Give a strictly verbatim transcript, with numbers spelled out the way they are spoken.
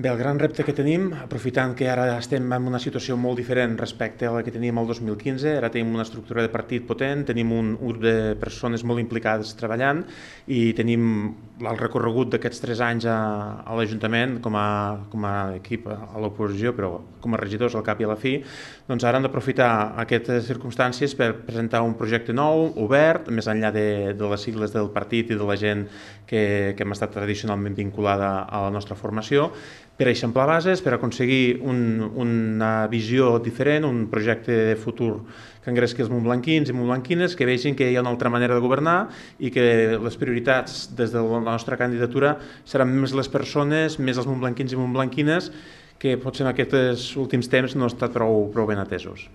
Bé, el gran repte que tenim, aprofitant que ara estem en una situació molt diferent respecte a la que teníem el dos mil quinze, ara tenim una estructura de partit potent, tenim un grup de persones molt implicades treballant i tenim el recorregut d'aquests tres anys a, a l'Ajuntament com a, com a equip a l'oposició, però com a regidors al cap i a la fi, doncs ara hem d'aprofitar aquestes circumstàncies per presentar un projecte nou, obert, més enllà de, de les sigles del partit i de la gent que, que hem estat tradicionalment vinculada a la nostra formació, per eixamplar bases, per aconseguir un, una visió diferent, un projecte de futur que engresqui els montblanquins i montblanquines, que vegin que hi ha una altra manera de governar i que les prioritats des de la nostra candidatura seran més les persones, més els montblanquins i montblanquines, que potser en aquests últims temps no han estat prou, prou ben atesos.